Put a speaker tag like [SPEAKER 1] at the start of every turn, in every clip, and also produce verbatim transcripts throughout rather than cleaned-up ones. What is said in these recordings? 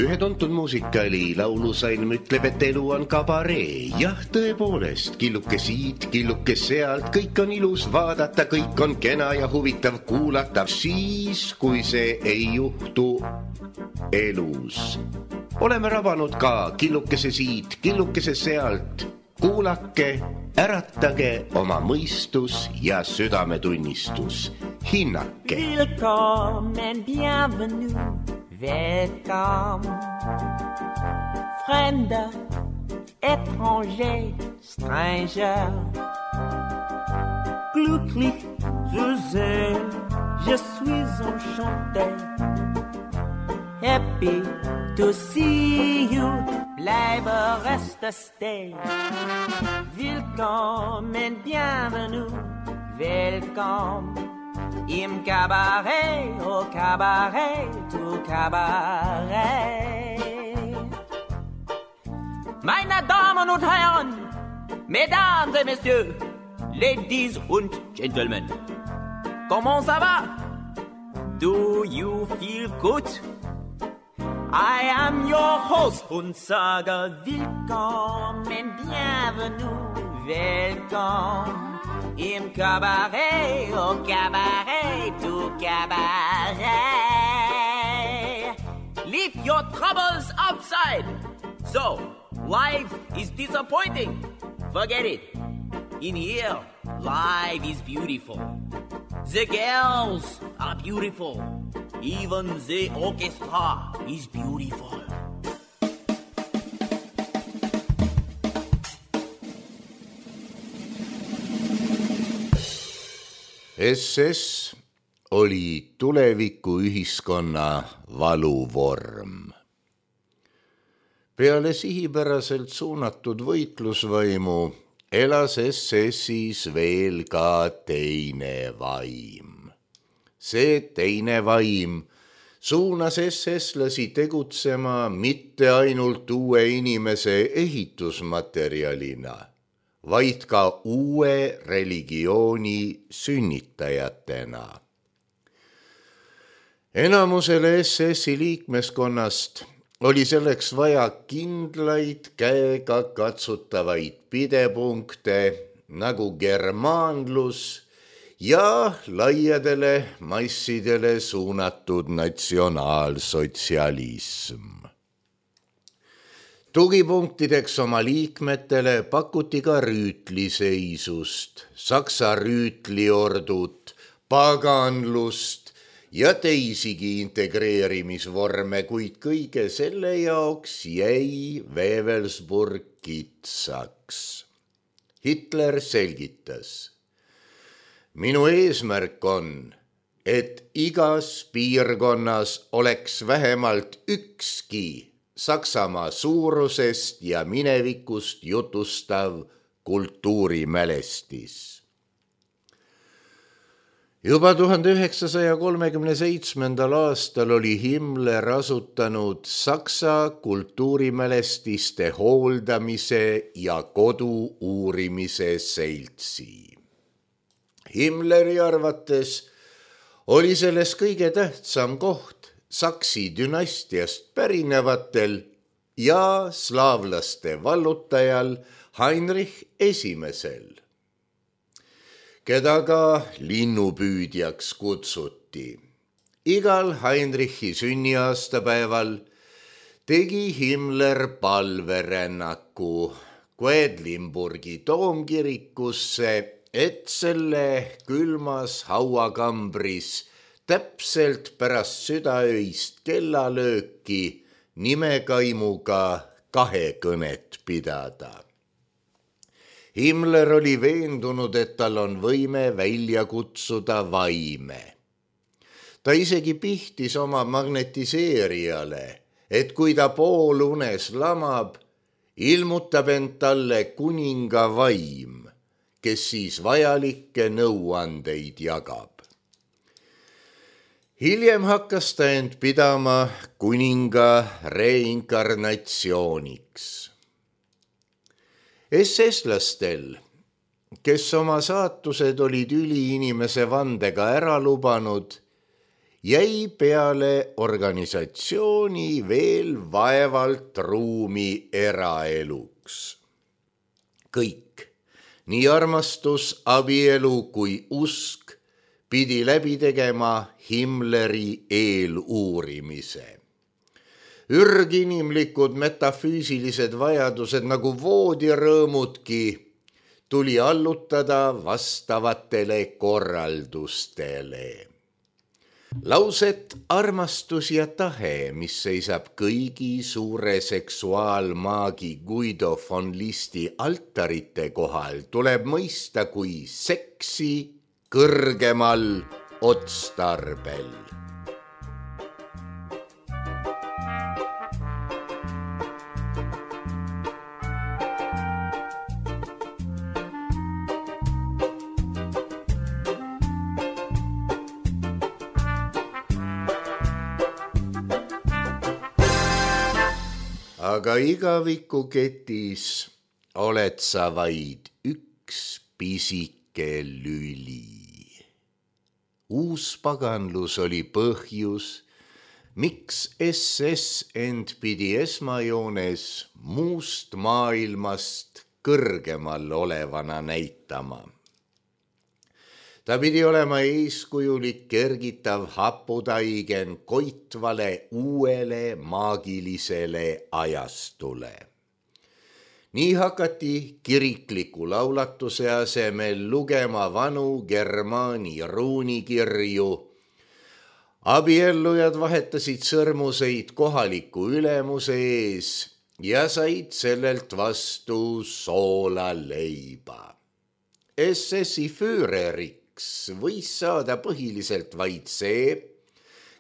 [SPEAKER 1] Ühe tuntud muusikali laulusalm ütleb, et elu on kabaree. Jah, tõepoolest, killuke siit, killuke sealt, kõik on ilus vaadata, kõik on kena ja huvitav kuulata, siis, kui see ei juhtu elus. Oleme rabanud ka killukese siit, killukese sealt. Kuulake, äratage oma mõistus ja südametunnistus. Hinnake.
[SPEAKER 2] Willkommen, bienvenue, welcome. Fremde, étranger, stranger. Glücklich zu sehen, je suis enchanté. Happy to see you, bleibe reste stay. Willkommen, bienvenue, welcome. Im Cabaret, au Cabaret, au Cabaret. Meine Damen und Herren, Mesdames et Messieurs, Ladies und Gentlemen, comment ça va? Do you feel good? I am your host und sage willkommen, bienvenue, welcome. Im Cabaret, au Cabaret, au Cabaret. Leave your troubles outside. So, life is disappointing. Forget it. In here, life is beautiful. The girls are beautiful. Even the orchestra is beautiful.
[SPEAKER 1] S S oli tuleviku ühiskonna valuvorm. Peale sihipäraselt suunatud võitlusvaimu elas S S-is veel ka teine vaim. See teine vaim suunas S S-lasi tegutsema mitte ainult uue inimese ehitusmaterjalina, vaid ka uue religiooni sünnitajatena. Enamusele S S-i liikmeskonnast oli selleks vaja kindlaid käega katsutavaid pidepunkte nagu germaanlus ja laiadele massidele suunatud natsionaalsotsialism. Tugipunktideks oma liikmetele pakuti ka rüütliseisust, saksa rüütliordut, paganlust ja teisigi integreerimisvorme, kuid kõige selle jaoks jäi Wewelsburg kitsaks. Hitler selgitas: minu eesmärk on, et igas piirkonnas oleks vähemalt ükski Saksamaa suurusest ja minevikust jutustav kultuurimälestis. Juba tuhande üheksasaja kolmekümne seitsmendal aastal oli Himmler asutanud Saksa kultuurimälestiste hooldamise ja kodu uurimise seltsi. Himleri arvates oli selles kõige tähtsam koht Saksi dünastiast pärinevatel ja slaavlaste vallutajal Heinrich Esimesel, keda ka linnupüüdjaks kutsuti. Igal Heinrichi sünniaastapäeval tegi Himmler palverännaku Quedlinburgi toomkirikusse, et selle külmas hauakambris täpselt pärast südaöist kellalööki nimekaimuga kahekõnet pidada. Himmler oli veendunud, et tal on võime välja kutsuda vaime. Ta isegi pihtis oma magnetiseerijale, et kui ta poolunes lamab, ilmutab end talle kuninga vaim, kes siis vajalikke nõuandeid jagab. Hiljem hakkas ta end pidama kuninga reinkarnatsiooniks. S S-lastel, kes oma saatused olid üliinimese vandega ära lubanud, jäi peale organisatsiooni veel vaevalt ruumi eraeluks. Kõik, nii armastus, abielu kui usk, pidi läbi tegema Himmleri eeluurimise. Ürginimlikud metafüüsilised vajadused nagu voodirõõmudki tuli allutada vastavatele korraldustele. Lauset armastus ja tahe, mis seisab kõigi suure seksuaalmaagi Guido von Listi altarite kohal, tuleb mõista kui seksi kõrgemal otstarbel. Aga igavikuketis oled sa vaid üks pisike lüli. Uus paganlus oli põhjus, miks S S end pidi esmajoones muust maailmast kõrgemal olevana näitama. Ta pidi olema eeskujulik kergitav haputaigen koitvale uuele maagilisele ajastule. Nii hakati kirikliku laulatuse asemel lugema vanu germaani ruunikirju. Abiellujad vahetasid sõrmuseid kohaliku ülemuse ees ja said sellelt vastu soolaleiba. S S-i Führeriks võis saada põhiliselt vaid see,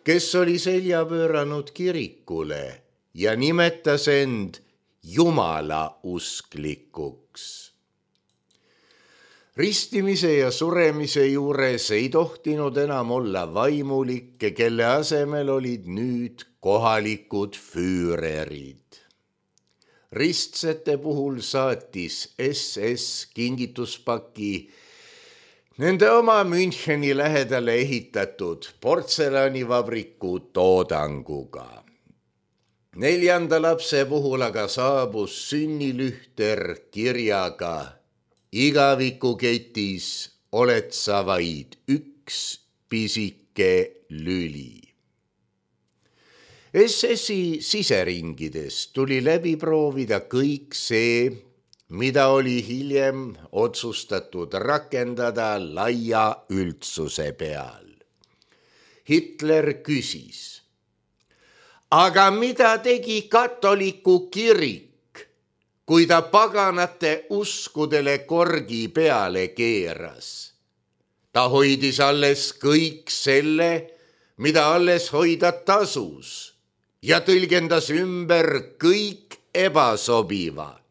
[SPEAKER 1] kes oli selja pööranud kirikule ja nimetas end Jumala usklikuks. Ristimise ja suremise juures ei tohtinud enam olla vaimulikke, kelle asemel olid nüüd kohalikud Füürerid. Ristsete puhul saatis S S kingituspaki nende oma Müncheni lähedale ehitatud portselanivabriku toodanguga. Neljanda lapse puhul aga saabus sünnilühter kirjaga: igavikuketis oled sa vaid üks pisike lüli. S S-i siseringides tuli läbi proovida kõik see, mida oli hiljem otsustatud rakendada laia üldsuse peal. Hitler küsis: aga mida tegi katoliku kirik, kui ta paganate uskudele korgi peale keeras? Ta hoidis alles kõik selle, mida alles hoida tasus, ja tõlgendas ümber kõik ebasobiva.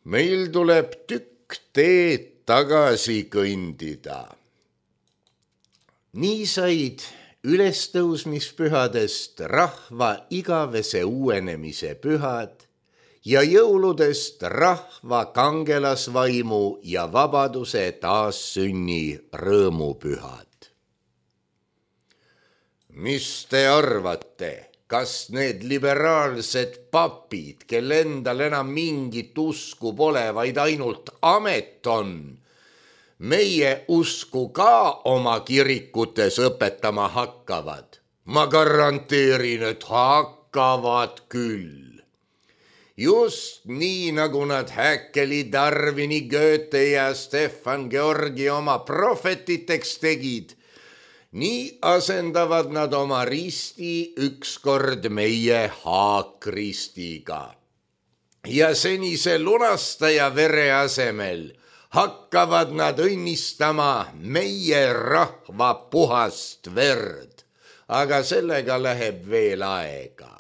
[SPEAKER 1] Meil tuleb tükk teed tagasi kõndida. Nii said ülestõusmispühadest rahva igavese uuenemise pühad ja jõuludest rahva kangelasvaimu ja vabaduse taassünni rõõmupühad. Mis te arvate? Kas need liberaalsed papid, kel endal enam mingit usku pole, vaid ainult amet on, meie usku ka oma kirikutes õpetama hakkavad? Ma garanteerin, et hakkavad küll. Just nii, nagu nad Häkkeli, Darwini, Goethe ja Stefan Georgi oma prohvetiteks tegid, nii asendavad nad oma risti ükskord meie haakristiga. Ja senise lunastaja vere asemel hakkavad nad õnnistama meie rahva puhast verd, aga sellega läheb veel aega.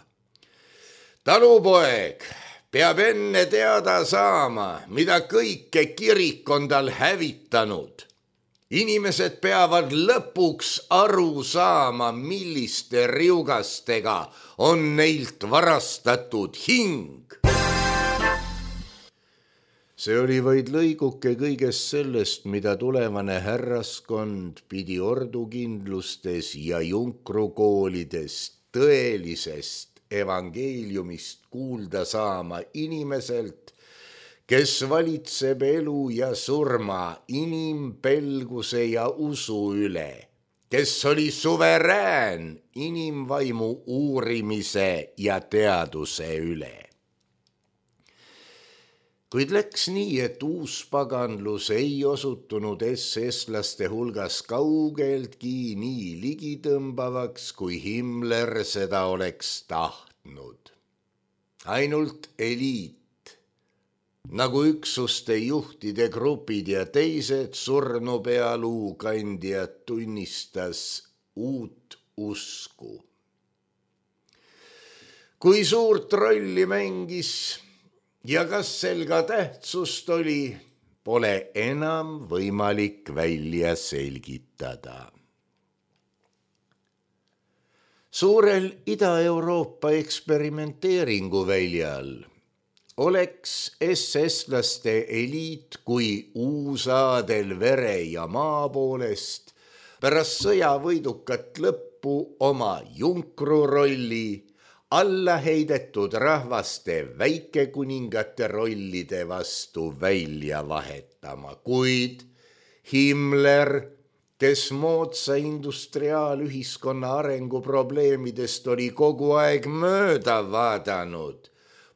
[SPEAKER 1] Talupoeg peab enne teada saama, mida kõike kirik on tal hävitanud. Inimesed peavad lõpuks aru saama, milliste riugastega on neilt varastatud hing. See oli vaid lõiguke kõigest sellest, mida tulevane härraskond pidi ordukindlustes ja junkrukoolidest tõelisest evangeeliumist kuulda saama inimeselt, kes valitseb elu ja surma inimpelguse ja usu üle, kes oli suverään inimvaimu uurimise ja teaduse üle. Kuid läks nii, et uuspaganlus ei osutunud es-eslaste hulgas kaugeltki nii ligitõmbavaks, kui Himmler seda oleks tahtnud. Ainult eliit, nagu üksuste juhtide grupid ja teised surnupealuu kandjad tunnistas uut usku. Kui suurt rolli mängis ja kas sel ka tähtsust oli, pole enam võimalik välja selgitada. Suurel Ida-Euroopa eksperimenteeringu väljal oleks es-eslaste eliit kui uusaadel vere ja maa poolest pärast sõja võidukat lõppu oma junkru rolli alla heidetud rahvaste väikekuningate rollide vastu välja vahetama, kuid Himmler, kes moodsa industriaalühiskonna arenguprobleemidest oli kogu aeg mööda vaadanud,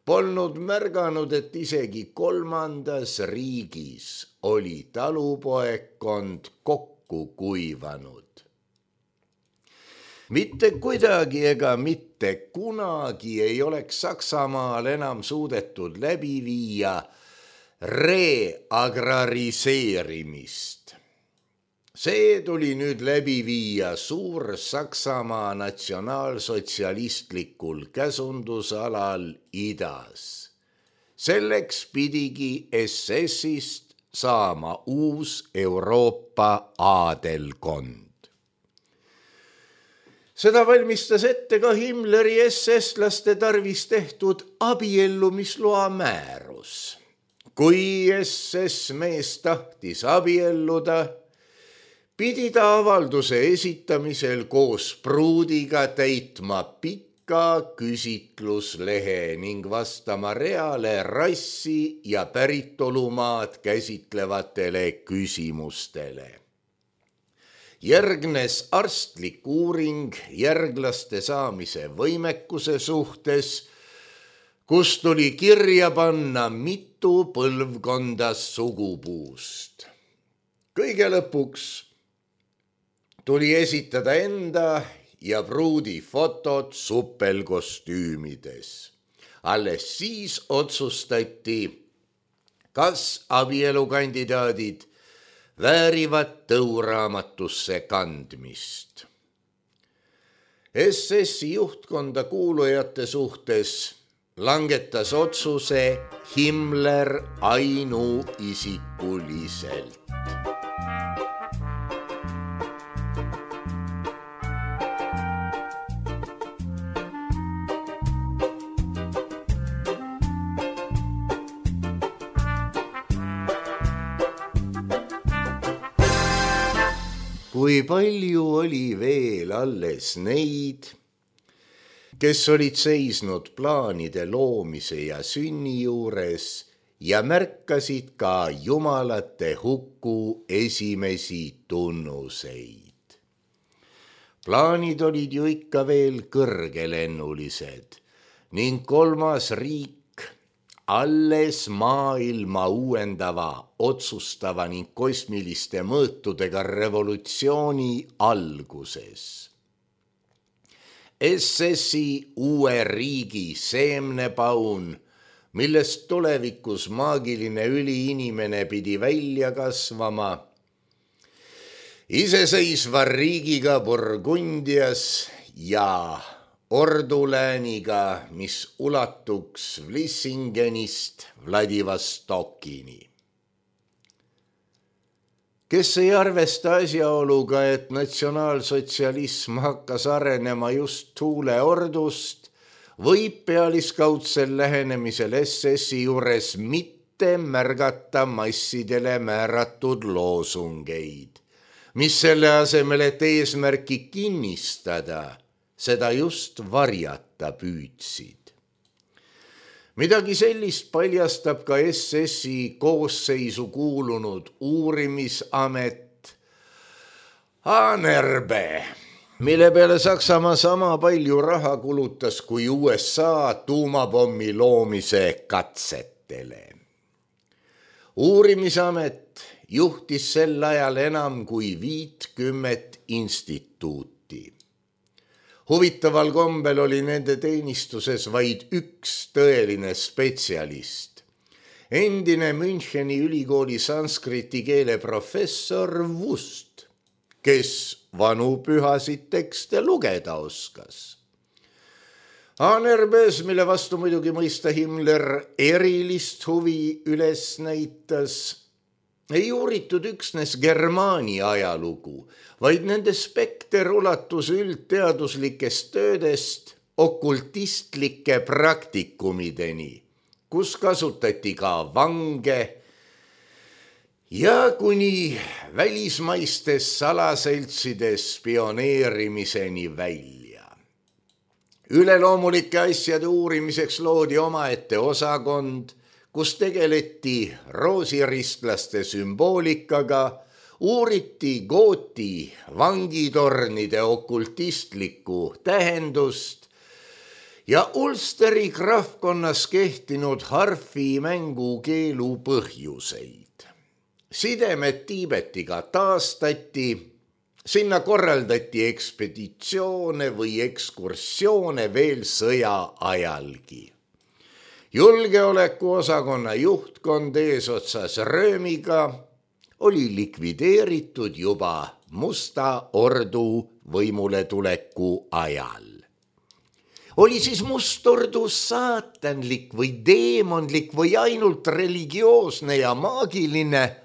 [SPEAKER 1] polnud märganud, et isegi kolmandas riigis oli talupoegkond kokku kuivanud. Mitte kuidagi ega mitte kunagi ei oleks Saksamaal enam suudetud läbi viia reagrariseerimist. See tuli nüüd läbi viia suur Saksamaa natsionaalsotsialistlikul käsundusalal idas. Selleks pidigi es esist saama uus Euroopa aadelkond. Seda valmistas ette ka Himmleri es-eslaste tarvis tehtud abiellumisloa määrus. Kui es es mees tahtis abielluda, pidi ta avalduse esitamisel koos pruudiga täitma pika küsitluslehe ning vastama reale rassi ja päritolumaad käsitlevatele küsimustele. Järgnes arstlik uuring järglaste saamise võimekuse suhtes, kus tuli kirja panna mitu põlvkonda sugupuust. Kõige lõpuks tuli esitada enda ja pruudi fotod suppelkostüümides. Alles siis otsustati, kas abielukandidaadid väärivad tõuraamatusse kandmist. es essi juhtkonda kuulujate suhtes langetas otsuse Himmler ainuisikuliselt. Kui palju oli veel alles neid, kes olid seisnud plaanide loomise ja sünni juures ja märkasid ka jumalate huku esimesi tunnuseid. Plaanid olid ju ikka veel kõrgelennulised ning kolmas riik alles maailma uuendava, otsustava ning kosmiliste mõõtudega revolutsiooni alguses. es essi uue riigi seemnepaun, millest tulevikus maagiline üliinimene pidi välja kasvama, iseseisva riigiga Burgundias ja ordulääniga, mis ulatuks Vlissingenist Vladivostokini. Kes ei arvesta asjaoluga, et natsionaalsotsialism hakkas arenema just tuuleordust, võib pealiskaudsel lähenemisel es essi juures mitte
[SPEAKER 3] mitte märgata massidele määratud loosungeid, mis selle asemel, et eesmärki kinnistada, seda just varjata püüdsid. Midagi sellist paljastab ka S S-i koosseisu kuulunud uurimisamet A N R B, mille peale Saksamaa sama palju raha kulutas kui U S A tuumapommi loomise katsetele. Uurimisamet juhtis sel ajal enam kui viitkümmet instituuti. Huvitaval kombel oli nende teenistuses vaid üks tõeline spetsialist. Endine Müncheni ülikooli sanskriti keele professor Wust, kes vanu pühasid tekste lugeda oskas. A N R B-s, mille vastu muidugi mõista Himmler erilist huvi üles näitas, ei uuritud üksnes Germaani ajalugu, vaid nende spekter ulatus üldteaduslikest töödest okultistlike praktikumideni, kus kasutati ka vange ja kuni välismaistes salaseltsides spioneerimiseni välja. Üleloomulike asjade uurimiseks loodi omaette osakond, kus tegeleti roosiristlaste sümboolikaga, uuriti gooti vangitornide okultistlikku tähendust ja Ulsteri krahvkonnas kehtinud harfi mängukeelu põhjuseid. Sidemed Tiibetiga taastati, sinna korraldati ekspeditsioone või ekskursioone veel sõja ajalgi. Julgeolekuosakonna juhtkond eesotsas Röömiga oli likvideeritud juba Musta ordu võimule tuleku ajal. Oli siis Must ordu saatanlik või deemonlik või ainult religioosne ja maagiline?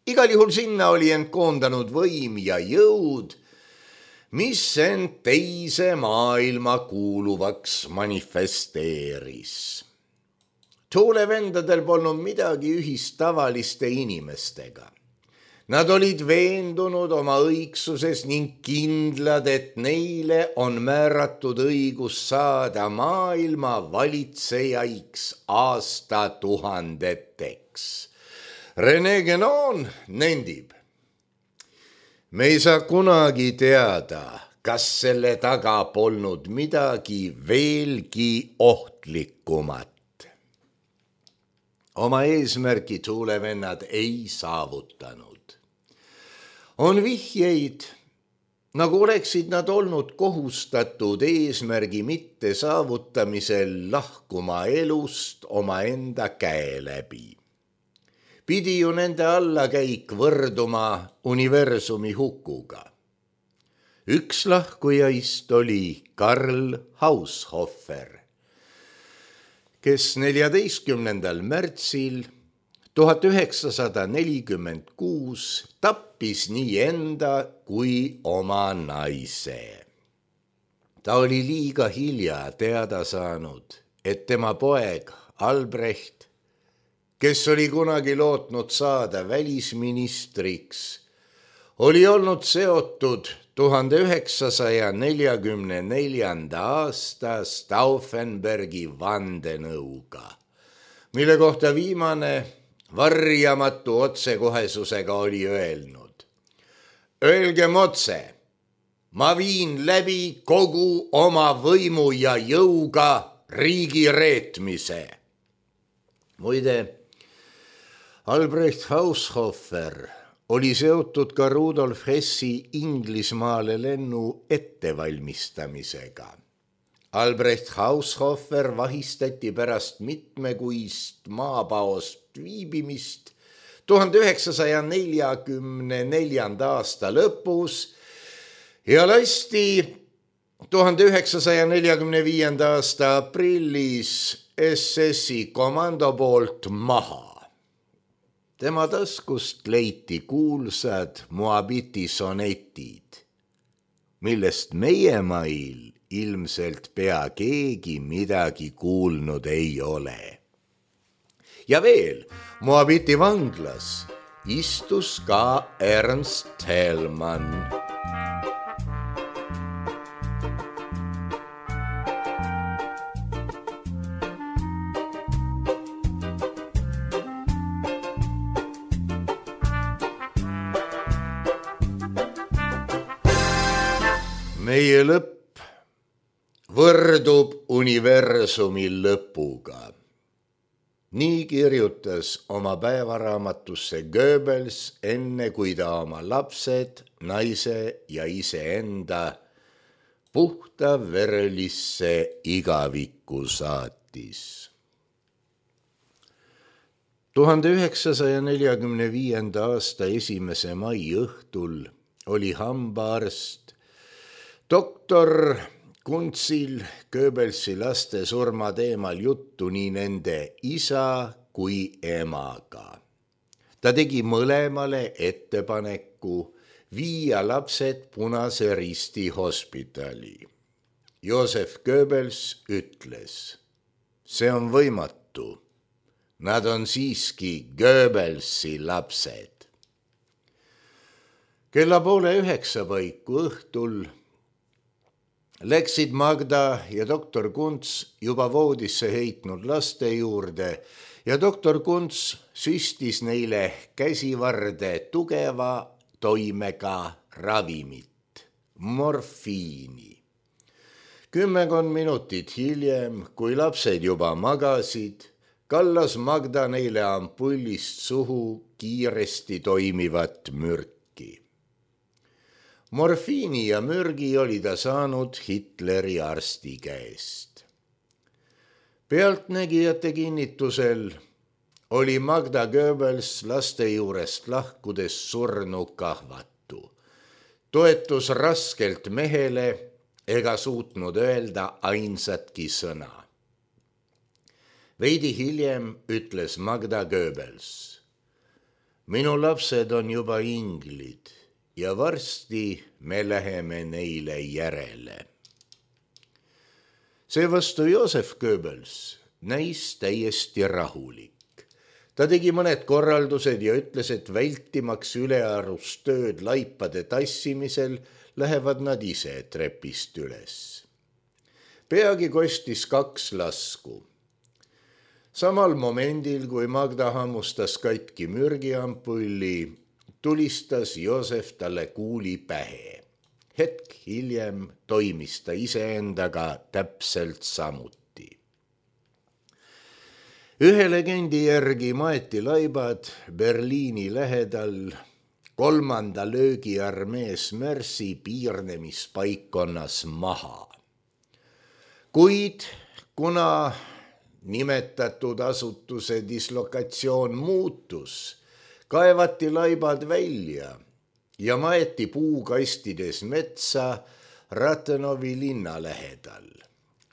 [SPEAKER 3] Igal juhul sinna oli end koondanud võim ja jõud, mis end teise maailma kuuluvaks manifesteeris. Tuulevendadel polnud midagi ühist tavaliste inimestega. Nad olid veendunud oma õigsuses ning kindlad, et neile on määratud õigus saada maailma valitsejaiks aastatuhandeteks. René Guénon nendib: me ei saa kunagi teada, kas selle taga polnud midagi veelgi ohtlikumat. Oma eesmärgi tuulevennad ei saavutanud. On vihjeid, nagu oleksid nad olnud kohustatud eesmärgi mitte saavutamisel lahkuma elust omaenda käe läbi. Pidi ju nende allakäik võrduma universumi hukuga. Üks lahkujaist oli Karl Haushofer, kes neljateistkümnendal märtsil tuhat üheksasada nelikümmend kuus tappis nii enda kui oma naise. Ta oli liiga hilja teada saanud, et tema poeg Albrecht, kes oli kunagi lootnud saada välisministriks, oli olnud seotud tuhande üheksasaja neljakümne neljanda aasta Stauffenbergi vandenõuga, mille kohta viimane varjamatu otsekohesusega oli öelnud: öelgem otse, ma viin läbi kogu oma võimu ja jõuga riigi reetmise. Muide, Albrecht Haushofer oli seotud ka Rudolf Hessi Inglismaale lennu ettevalmistamisega. Albrecht Haushofer vahistati pärast mitmekuist maapaost viibimist tuhande üheksasaja neljakümne neljanda aasta lõpus ja lasti tuhande üheksasaja neljakümne viienda aasta aprillis S S-i komando poolt maha. Tema taskust leiti kuulsad Moabiti sonetid, millest meie mail ilmselt pea keegi midagi kuulnud ei ole. ja veel, Moabiti vanglas istus ka Ernst Thälmann. Meie lõpp võrdub universumi lõpuga. Nii kirjutas oma päevaraamatusse Goebbels enne, kui ta oma lapsed, naise ja iseenda puhta verelisse igavikku saatis. tuhande üheksasaja neljakümne viienda aasta esimese mai õhtul oli hambaarst doktor Kunzil Goebbelsi laste surma teemal juttu nii nende isa kui emaga. Ta tegi mõlemale ettepaneku viia lapsed Punase Risti hospitali. Joseph Goebbels ütles, see on võimatu. Nad on siiski Goebbelsi lapsed. Kella poole üheksa paiku õhtul läksid Magda ja doktor Kunz juba voodisse heitnud laste juurde ja doktor Kunz süstis neile käsivarde tugeva toimega ravimit, morfiini. Kümmekond minutit hiljem, kui lapsed juba magasid, kallas Magda neile ampullist suhu kiiresti toimivat mürki. Morfiini ja mürgi oli ta saanud Hitleri arsti käest. Pealtnägijate kinnitusel oli Magda Goebbels laste juurest lahkudes surnu kahvatu. Toetus raskelt mehele ega suutnud öelda ainsatki sõna. Veidi hiljem ütles Magda Goebbels, minu lapsed on juba inglid ja varsti me läheme neile järele. Seevastu Joseph Goebbels näis täiesti rahulik. Ta tegi mõned korraldused ja ütles, et vältimaks ülearust tööd laipade tassimisel lähevad nad ise trepist üles. Peagi kostis kaks lasku. Samal momendil, kui Magda hammustas katki mürgiampulli, tulistas Josef talle kuuli pähe. Hetk hiljem toimis ta iseendaga täpselt samuti. Ühe legendi järgi maeti laibad Berliini lähedal kolmanda löögiarmee Smersi piirnemispaikkonnas maha. Kuid kuna nimetatud asutuse dislokatsioon muutus, kaevati laibad välja ja maeti puukastides metsa Ratenovi linna lähedal.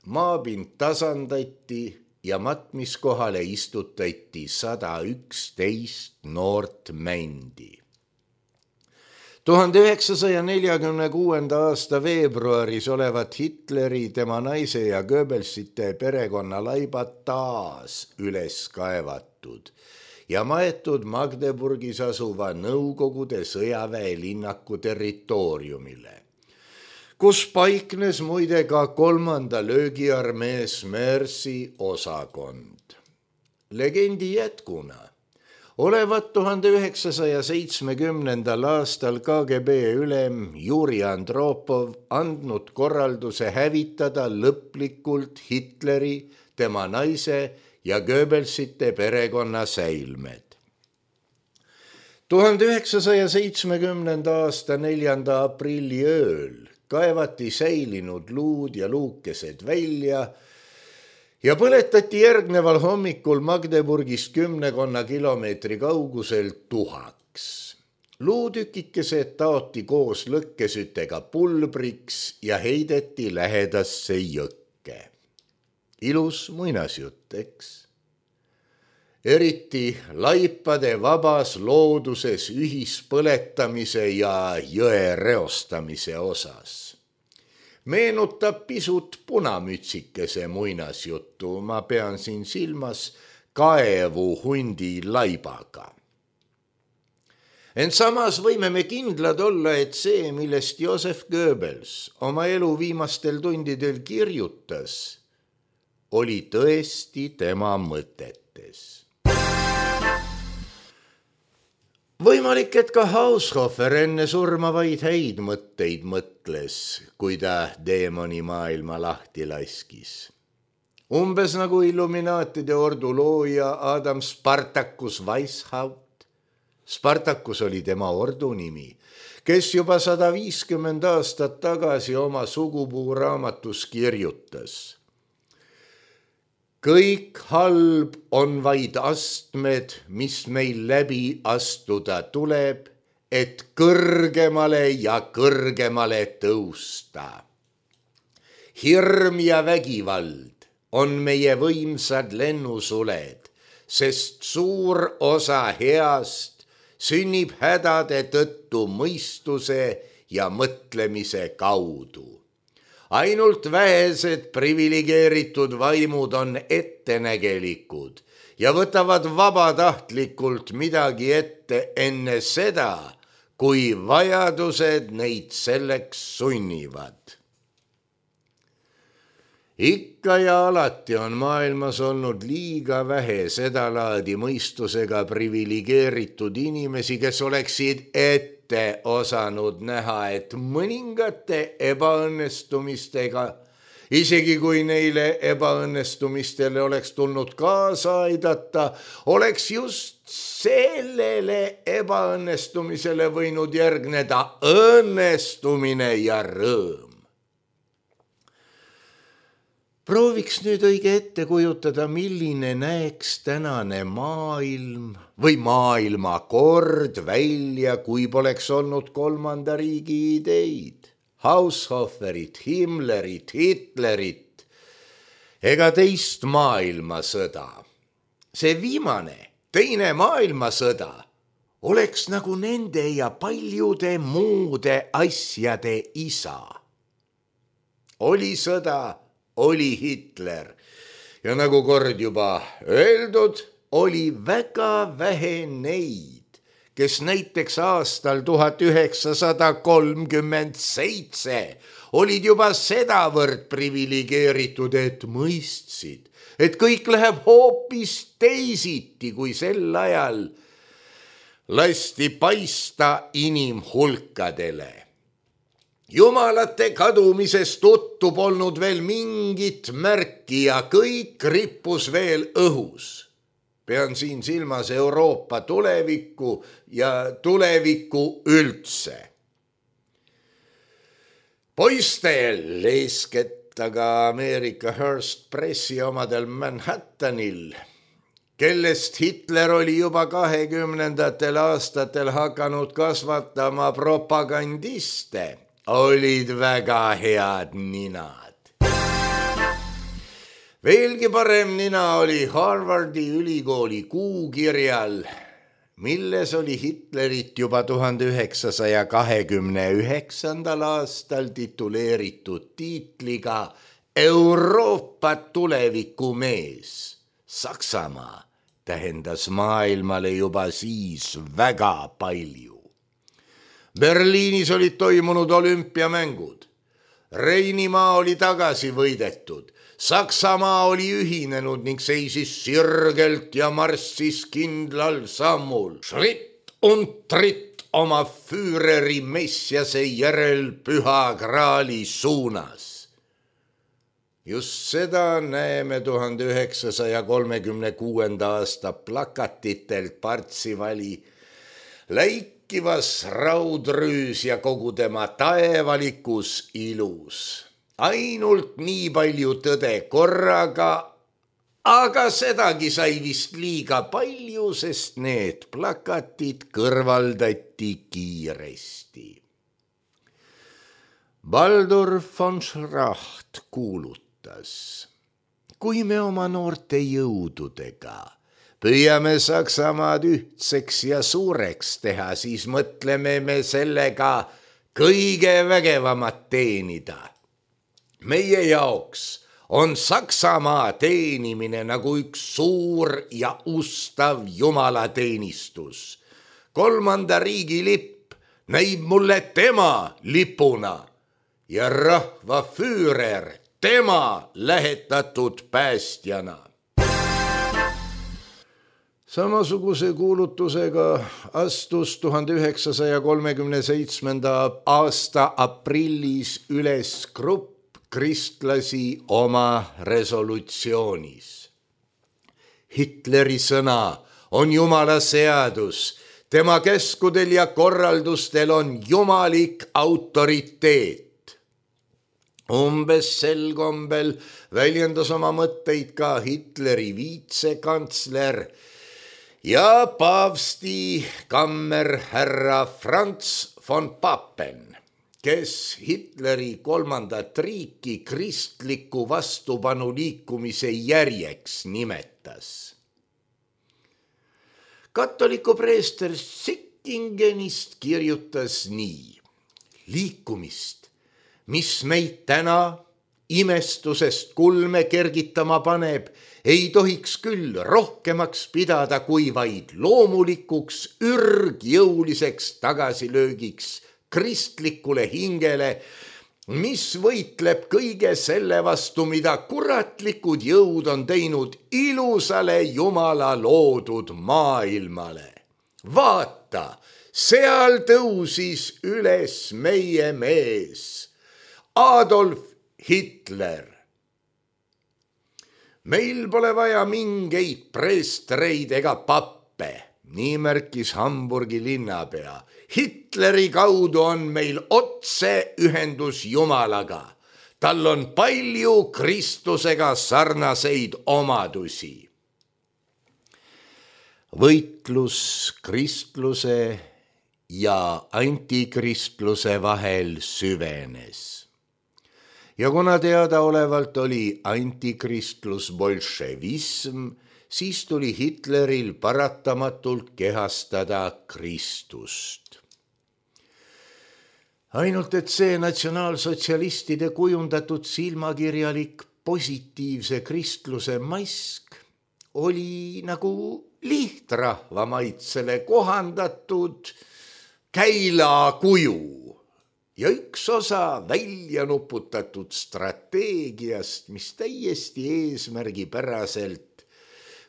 [SPEAKER 3] Maapind tasandati ja matmiskohale istutati sada üksteist noort mändi. tuhande üheksasaja neljakümne kuuenda aasta veebruaris olevat Hitleri, tema naise ja Goebbelsite perekonna laibad taas üles kaevatud ja maetud Magdeburgis asuva Nõukogude sõjaväe linnaku territooriumile, kus paiknes muide ka kolmanda löögiarmee Smersi osakond. Legendi jätkuna olevat tuhande üheksasaja seitsmekümnendal aastal K G B ülem Juri Andropov andnud korralduse hävitada lõplikult Hitleri, tema naise ja Goebbelsite perekonna säilmed. tuhande üheksasaja seitsmekümnenda aasta neljanda aprilli ööl kaevati säilinud luud ja luukesed välja ja põletati järgneval hommikul Magdeburgist kümnekonna kilomeetri kaugusel tuhaks. Luutükikesed taoti koos lõkkesütega pulbriks ja heideti lähedasse jõkke. Ilus muinasjutt, eks? Eriti laipade vabas looduses ühispõletamise ja jõe reostamise osas. Meenutab pisut punamütsikese muinasjuttu, ma pean siin silmas kaevu hundi laibaga. Ent samas võime me kindlad olla, et see, millest Joseph Goebbels oma elu viimastel tundidel kirjutas, oli tõesti tema mõtetes. Võimalik, et ka Haushofer enne surma vaid häid mõtteid mõtles, kui ta deemoni maailma lahti laskis. Umbes nagu Illuminaatide ordu looja Adam Spartacus Weishaupt. Spartacus oli tema ordu nimi, kes juba sada viiskümmend aastat tagasi oma sugupuu raamatus kirjutas. Kõik halb on vaid astmed, mis meil läbi astuda tuleb, et kõrgemale ja kõrgemale tõusta. Hirm ja vägivald on meie võimsad lennusuled, sest suur osa heast sünnib hädade tõttu mõistuse ja mõtlemise kaudu. Ainult vähesed privilegeeritud vaimud on ettenägelikud ja võtavad vabatahtlikult midagi ette enne seda, kui vajadused neid selleks sunnivad. Ikka ja alati on maailmas olnud liiga vähe sedalaadi mõistusega privilegeeritud inimesi, kes oleksid ette osanud näha, et mõningate ebaõnnestumistega, isegi kui neile ebaõnnestumistele oleks tulnud kaasa aidata, oleks just sellele ebaõnnestumisele võinud järgneda õnnestumine ja rõõm. Prooviks nüüd õige ette kujutada, milline näeks tänane maailm või maailmakord välja, kui poleks olnud kolmanda riigi ideid, Haushoferit, Himmlerit, Hitlerit ega teist maailmasõda. See viimane, teine maailmasõda oleks nagu nende ja paljude muude asjade isa. Oli sõda, oli Hitler ja nagu kord juba öeldud, oli väga vähe neid, kes näiteks aastal tuhat üheksasada kolmkümmend seitse olid juba sedavõrd privilegeeritud, et mõistsid, et kõik läheb hoopis teisiti, kui sel ajal lasti paista inimhulkadele. Jumalate kadumisest tuttu polnud veel mingit märki ja kõik rippus veel õhus. Pean siin silmas Euroopa tulevikku ja tulevikku üldse. Poistel, eeskätt aga Ameerika Hearst Pressi omadel Manhattanil, kellest Hitler oli juba kahekümnendatel aastatel hakanud kasvatama propagandiste, olid väga head ninad. Veelgi parem nina oli Harvardi ülikooli kuukirjal, milles oli Hitlerit juba tuhande üheksasaja kahekümne üheksandal aastal tituleeritud tiitliga Euroopa tulevikumees. Saksamaa tähendas maailmale juba siis väga palju. Berliinis olid toimunud olümpiamängud. Reinimaa oli tagasi võidetud. Saksamaa oli ühinenud ning seisis sirgelt ja marssis kindlal sammul. Schritt und tritt oma Führeri messiase järel püha graali suunas. Just seda näeme tuhande üheksasaja kolmekümne kuuenda aasta plakatitelt Partsivali läikivas raudrüüs ja kogu tema taevalikus ilus. Ainult nii palju tõde korraga, aga sedagi sai vist liiga palju, sest need plakatid kõrvaldati kiiresti. Baldur von Schracht kuulutas: kui me oma noorte jõududega püüame Saksamaad ühtseks ja suureks teha, siis mõtleme me sellega kõige vägevamat teenida. Meie jaoks on Saksamaa teenimine nagu üks suur ja ustav jumalateenistus. Kolmanda riigi lipp näib mulle tema lipuna ja rahva füürer tema lähetatud päästjana. Samasuguse kuulutusega astus tuhande üheksasaja kolmekümne seitsmenda aasta aprillis üles grupp kristlasi oma resolutsioonis. Hitleri sõna on Jumala seadus, tema käskudel ja korraldustel on jumalik autoriteet. Umbes sel kombel väljendas oma mõtteid ka Hitleri viitsekantsler ja paavsti kammerhärra Franz von Papen, kes Hitleri kolmandat riiki kristliku vastupanu liikumise järjeks nimetas. Katoliku preester Sickingenist kirjutas nii: liikumist, mis meid täna imestusest kulme kergitama paneb, ei tohiks küll rohkemaks pidada kui vaid loomulikuks ürgjõuliseks tagasilöögiks kristlikule hingele, mis võitleb kõige selle vastu, mida kuratlikud jõud on teinud ilusale Jumala loodud maailmale. Vaata, seal tõusis üles meie mees, Adolf Hitler. Meil pole vaja mingeid preestreid ega pappe, nii märkis Hamburgi linnapea. Hitleri kaudu on meil otse ühendus Jumalaga. Tal on palju Kristusega sarnaseid omadusi. Võitlus kristluse ja antikristluse vahel süvenes. Ja kuna teadaolevalt oli antikristlus bolševism, siis tuli Hitleril paratamatult kehastada Kristust. Ainult et see natsionaalsotsialistide kujundatud silmakirjalik positiivse kristluse mask oli nagu lihtrahva maitsele kohandatud käilakuju ja üks osa välja nuputatud strateegiast, mis täiesti eesmärgipäraselt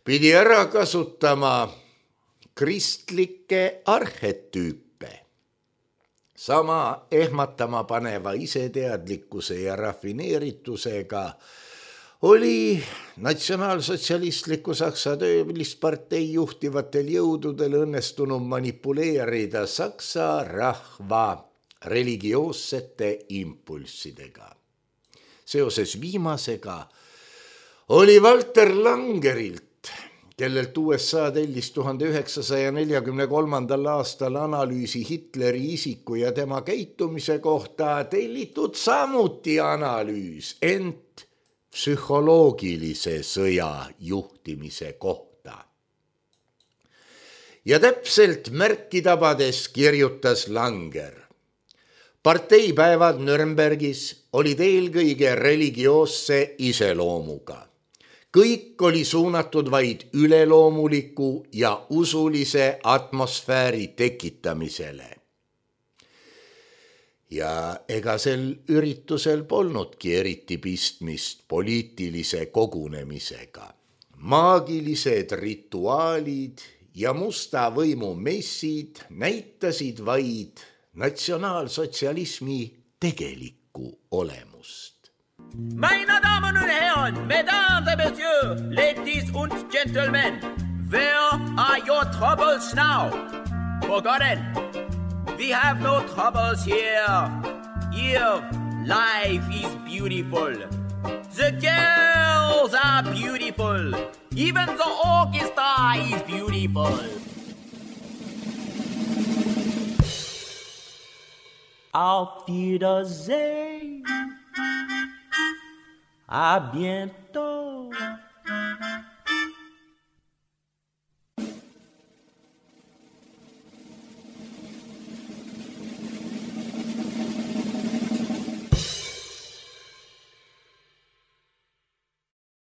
[SPEAKER 3] pidi ära kasutama kristlikke arhetüüpe. Sama ehmatama paneva iseteadlikkuse ja rafineeritusega oli natsionaalsotsialistliku Saksa töölispartei juhtivatel jõududel õnnestunud manipuleerida Saksa rahva religioossete impulssidega. Seoses viimasega oli Walter Langerilt, kellelt U S A tellis tuhande üheksasaja neljakümne kolmandal aastal analüüsi Hitleri isiku ja tema käitumise kohta, tellitud samuti analüüs, ent psühholoogilise sõja juhtimise kohta. Ja täpselt märki tabades kirjutas Langer: parteipäevad Nürnbergis olid eelkõige religioosse iseloomuga. Kõik oli suunatud vaid üleloomuliku ja usulise atmosfääri tekitamisele. Ja ega sel üritusel polnudki eriti pistmist poliitilise kogunemisega. Maagilised rituaalid ja musta võimu messid näitasid vaid natsionaalsotsialismi tegelikku olemust.
[SPEAKER 2] Meine Damen und Herren, Mesdames et Messieurs, ladies und gentlemen, where are your troubles now? Forgotten, we have no troubles here. Here, life is beautiful. The girls are beautiful. Even the orchestra is beautiful. Auf Wiedersehen, à bientôt.